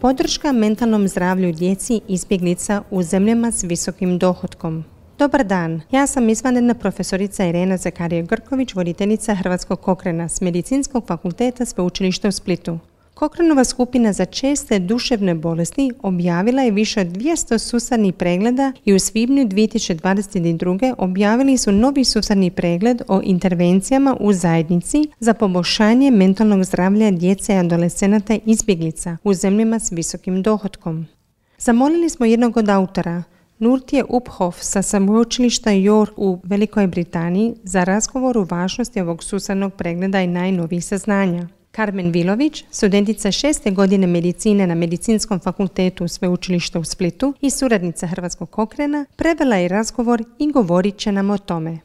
Podrška mentalnom zdravlju djeci izbjeglica u zemljama s visokim dohotkom. Dobar dan, ja sam izvanredna profesorica Irena Zakarije-Grković, voditeljica Hrvatskog Cochrana s Medicinskog fakulteta Sveučilišta u Splitu. Cochranova skupina za česte duševne bolesti objavila je više od 200 sustavnih pregleda i u svibnju 2022. objavili su novi sustavni pregled o intervencijama u zajednici za poboljšanje mentalnog zdravlja djece i adolescenata izbjeglica u zemljama s visokim dohotkom. Zamolili smo jednog od autora, Nurtje Uphoff sa Sveučilišta York u Velikoj Britaniji, za razgovor o važnosti ovog sustavnog pregleda i najnovijih saznanja. Karmen Vilović, studentica 6. godine medicine na Medicinskom fakultetu Sveučilišta u Splitu i suradnica Hrvatskog Cochrana, prevela je razgovor i govorit će nam o tome.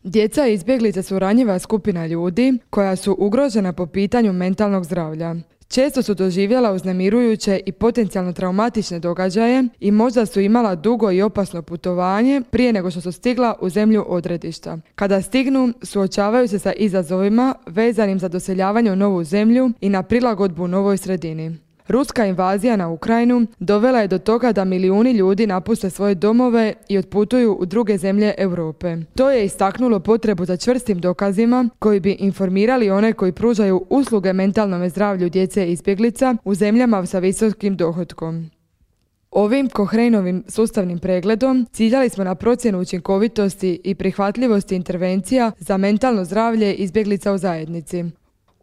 Djeca i izbjeglice su ranjiva skupina ljudi koja su ugrožena po pitanju mentalnog zdravlja. Često su doživjela uznemirujuće i potencijalno traumatične događaje i možda su imala dugo i opasno putovanje prije nego što su stigla u zemlju odredišta. Kada stignu, suočavaju se sa izazovima vezanim za doseljavanje u novu zemlju i na prilagodbu novoj sredini. Ruska invazija na Ukrajinu dovela je do toga da milijuni ljudi napuste svoje domove i otputuju u druge zemlje Europe. To je istaknulo potrebu za čvrstim dokazima koji bi informirali one koji pružaju usluge mentalnom zdravlju djece i izbjeglica u zemljama sa visokim dohotkom. Ovim Cochranovim sustavnim pregledom ciljali smo na procjenu učinkovitosti i prihvatljivosti intervencija za mentalno zdravlje izbjeglica u zajednici.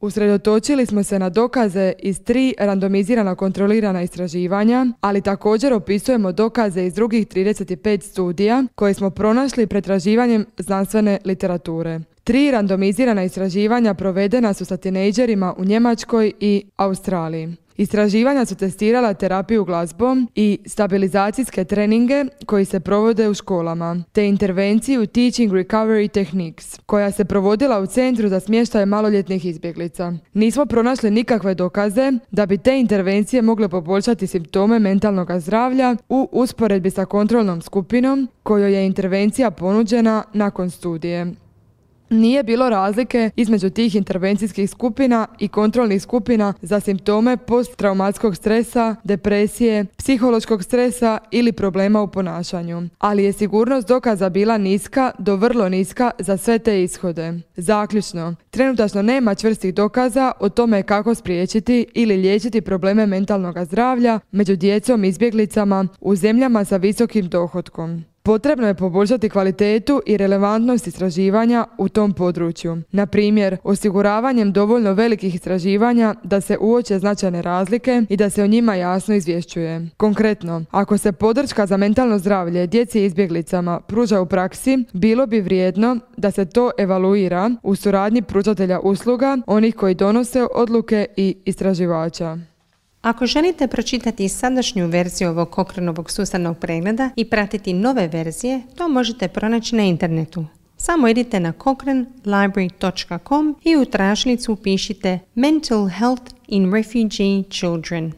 Usredotočili smo se na dokaze iz 3 randomizirana kontrolirana istraživanja, ali također opisujemo dokaze iz drugih 35 studija koje smo pronašli pretraživanjem znanstvene literature. 3 randomizirana istraživanja provedena su sa tinejdžerima u Njemačkoj i Australiji. Istraživanja su testirala terapiju glazbom i stabilizacijske treninge koji se provode u školama, te intervenciju Teaching Recovery Techniques, koja se provodila u Centru za smještaj maloljetnih izbjeglica. Nismo pronašli nikakve dokaze da bi te intervencije mogle poboljšati simptome mentalnog zdravlja u usporedbi sa kontrolnom skupinom kojoj je intervencija ponuđena nakon studije. Nije bilo razlike između tih intervencijskih skupina i kontrolnih skupina za simptome posttraumatskog stresa, depresije, psihološkog stresa ili problema u ponašanju, ali je sigurnost dokaza bila niska do vrlo niska za sve te ishode. Zaključno, trenutačno nema čvrstih dokaza o tome kako spriječiti ili liječiti probleme mentalnog zdravlja među djecom i izbjeglicama u zemljama sa visokim dohotkom. Potrebno je poboljšati kvalitetu i relevantnost istraživanja u tom području. Na primjer, osiguravanjem dovoljno velikih istraživanja da se uoče značajne razlike i da se o njima jasno izvješćuje. Konkretno, ako se podrška za mentalno zdravlje djeci i izbjeglicama pruža u praksi, bilo bi vrijedno da se to evaluira u suradnji pružatelja usluga, onih koji donose odluke i istraživača. Ako želite pročitati sadašnju verziju ovog Cochranovog sustavnog pregleda i pratiti nove verzije, to možete pronaći na internetu. Samo idite na cochranelibrary.com i u tražilicu upišite Mental Health in Refugee Children.